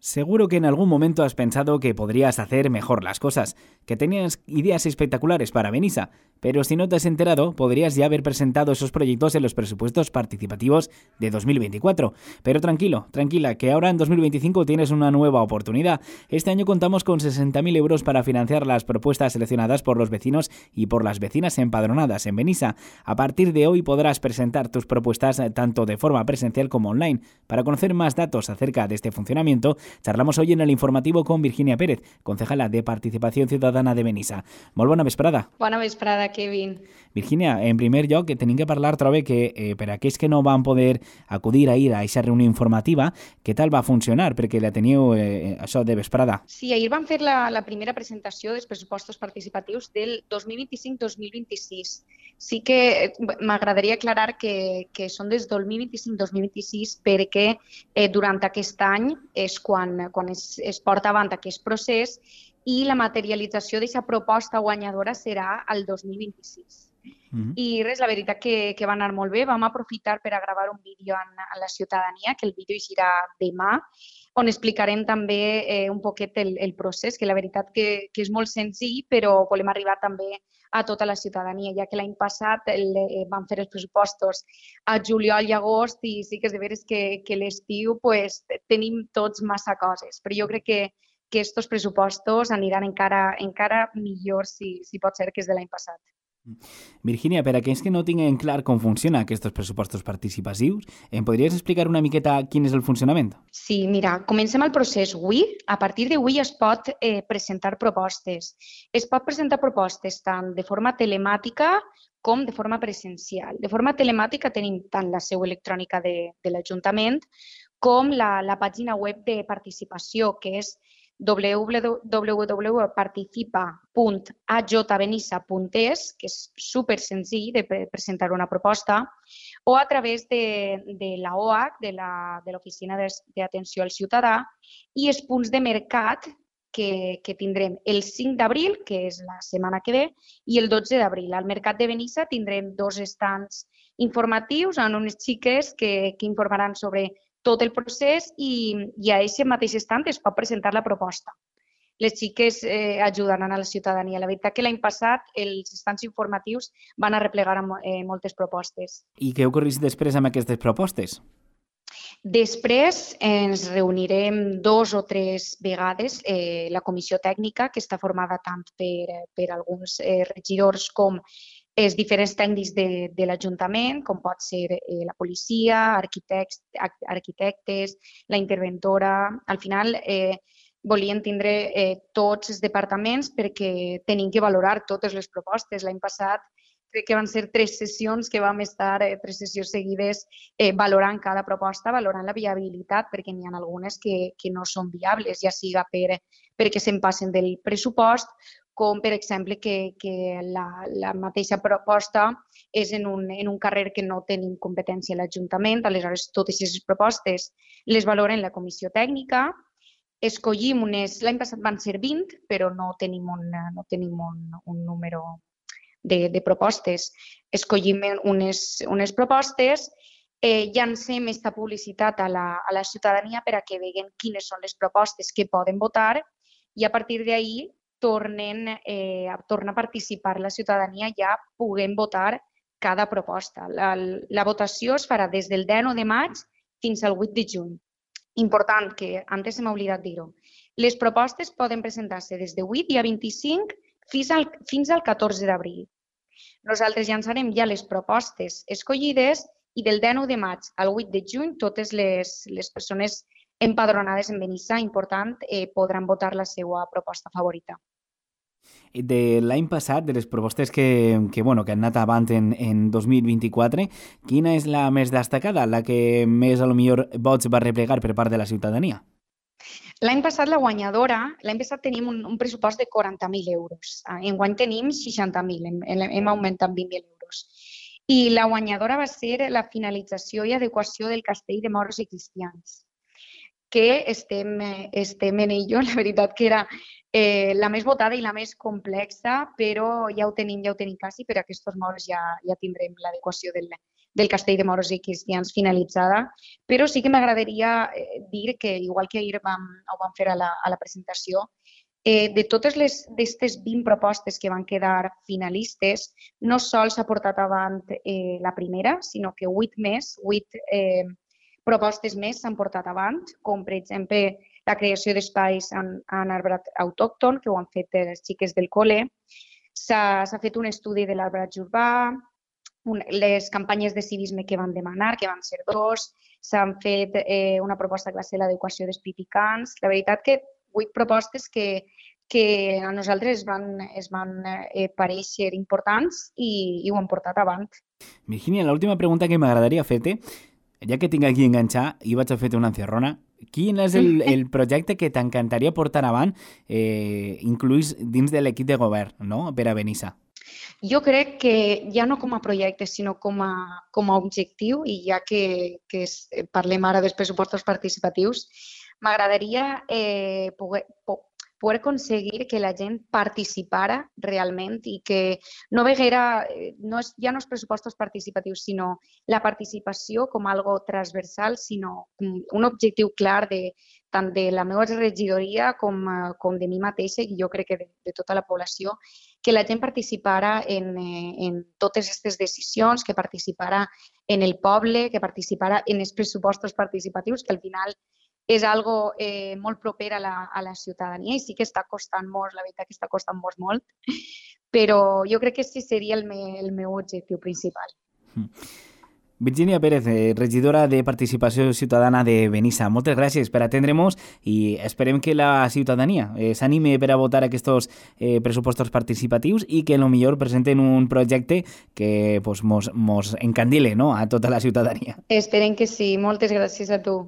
Seguro que en algún momento has pensado que podrías hacer mejor las cosas, que tenías ideas espectaculares para Benissa, pero si no te has enterado, podrías ya haber presentado esos proyectos en los presupuestos participativos de 2024. Pero tranquila, que ahora en 2025 tienes una nueva oportunidad. Este año contamos con 60.000 euros para financiar las propuestas seleccionadas por los vecinos y por las vecinas empadronadas en Benissa. A partir de hoy podrás presentar tus propuestas tanto de forma presencial como online. Para conocer más datos acerca de este funcionamiento, charlamos hoy en el informativo con Virginia Pérez, concejala de Participación Ciutadana de Benissa. Molt bona vesprada. Bona vesprada, Kevin. Virginia, en primer lloc, tenim que parlar, trobe, que per a aquells que no van poder acudir ahir a aquesta reunió informativa, què tal va funcionar? Perquè la teníeu això de vesprada. Sí, ahir vam fer la primera presentació dels pressupostos participatius del 2025-2026. Sí que m'agradaria aclarar que són des 2025-2026 perquè durant aquest any és quan es porta avant aquest procés i la materialització d'aquesta proposta guanyadora serà el 2026. I res, la veritat que va anar molt bé. Vam aprofitar per a gravar un vídeo a la ciutadania, que el vídeo eixirà demà, on explicarem també un poquet el procés, que la veritat que és molt senzill, però volem arribar també a tota la ciutadania, ja que l'any passat vam fer els pressupostos a juliol i agost i sí que és de veres que l'estiu pues, tenim tots massa coses, però jo crec que aquests pressupostos aniran encara millor si pot ser que és de l'any passat. Virginia, per a aquells que no tinguen clar com funcionen aquests pressupostos participatius, em podries explicar una miqueta quin és el funcionament? Sí, mira, comencem el procés avui. A partir d'avui es pot presentar propostes. Es pot presentar propostes tant de forma telemàtica com de forma presencial. De forma telemàtica tenim tant la seu electrònica de l'Ajuntament com la pàgina web de participació, que és www.participa.ajbenissa.es, que és super senzill de presentar una proposta, o a través de la OAC, de l'Oficina d'Atenció al Ciutadà, i els punts de mercat que tindrem el 5 d'abril, que és la setmana que ve, i el 12 d'abril. Al Mercat de Benissa tindrem 2 estants informatius amb unes xiques que informaran sobre tot el procés i a aquest mateix estant es pot presentar la proposta. Les xiques ajudaran a la ciutadania. La veritat que l'any passat els estants informatius van arreplegar moltes propostes. I què ocorreix després amb aquestes propostes? Després ens reunirem 2 o 3 vegades la comissió tècnica, que està formada tant per alguns regidors com els diferents tècnics de l'Ajuntament, com pot ser la policia, arquitectes, la interventora. Al final volien tindre tots els departaments perquè tenim que valorar totes les propostes. L'any passat crec que van ser 3 sessions que vam estar 3 sessions seguides valorant cada proposta, valorant la viabilitat, perquè n'hi ha algunes que no són viables, ja siga perquè se'n passen del pressupost, com per exemple que la mateixa proposta és en un carrer que no tenim competència a l'Ajuntament. Aleshores, totes aquestes propostes les valoren la comissió tècnica. Escollim l'any passat van ser 20, però no tenim un número de propostes. Escollim unes propostes, llancem aquesta publicitat a la ciutadania per a que vegin quines són les propostes que poden votar i a partir d'ahir torna a participar la ciutadania, ja puguem votar cada proposta. La votació es farà des del 19 de maig fins al 8 de juny. Important, que antes se m'ha oblidat dir-ho. Les propostes poden presentar-se des de 8 dia 25 fins al 14 d'abril. Nosaltres llançarem ja les propostes escollides i del 19 de maig al 8 de juny totes les persones empadronades en Benissa, important, podran votar la seva proposta favorita. De l'any passat, de les propostes que han anat avant en 2024, quina és la més destacada, la que més a lo millor vots va replegar per part de la ciutadania? L'any passat la guanyadora, l'any passat tenim un pressupost de 40.000 euros. Enguany tenim 60.000, hem augmentat 20.000 euros. I la guanyadora va ser la finalització i adequació del castell de moros i cristians, que estem en ello. La veritat que era la més votada i la més complexa, però ja ho tenim quasi, per a aquests moros ja tindrem l'adequació del Castell de Moros i Cristians finalitzada, però sí que m'agradaria dir que, igual que ahir ho vam fer a la presentació, de totes d'aquestes 20 propostes que van quedar finalistes, no sols s'ha portat avant la primera, sinó que 8 propostes més s'han portat avant, com per exemple la creació d'espais en arbrat autòcton, que ho han fet les xiques del col·le. S'ha fet un estudi de l'arbratge urbà, les campanyes de civisme que van demanar, que van ser 2, s'han fet una proposta classe de l'adequació dels pipicans. La veritat que 8 propostes que a nosaltres es van parèixer importants i ho han portat avant. Virginia, l'última pregunta que m'agradaria fer-te, ja que tinc aquí enganxar i vaig a fer-te una encerrona, quin és el projecte que t'encantaria portar avant, incluís dins de l'equip de govern, no?, per a Benissa? Jo crec que ja no com a projecte, sinó com a objectiu, i ja que parlem ara dels pressupostos participatius, m'agradaria poder aconseguir que la gent participara realment i que no veguera, ja no els pressupostos participatius, sinó la participació com algo transversal, sinó un objectiu clar tant de la meva regidoria com de mi mateixa, i jo crec que de tota la població, que la gent participara en totes aquestes decisions, que participara en el poble, que participara en els pressupostos participatius, que al final és algo molt proper a la ciutadania i sí que està costant molt, la veritat que està costant molt, però jo crec que sí seria el meu objectiu principal. Virginia Pérez, regidora de Participació Ciutadana de Benissa, moltes gràcies per atendre-nos i esperem que la ciutadania s'anime per a votar aquests pressupostos participatius i que potser presenten un projecte que mos encandile, no?, a tota la ciutadania. Esperem que sí. Moltes gràcies a tu.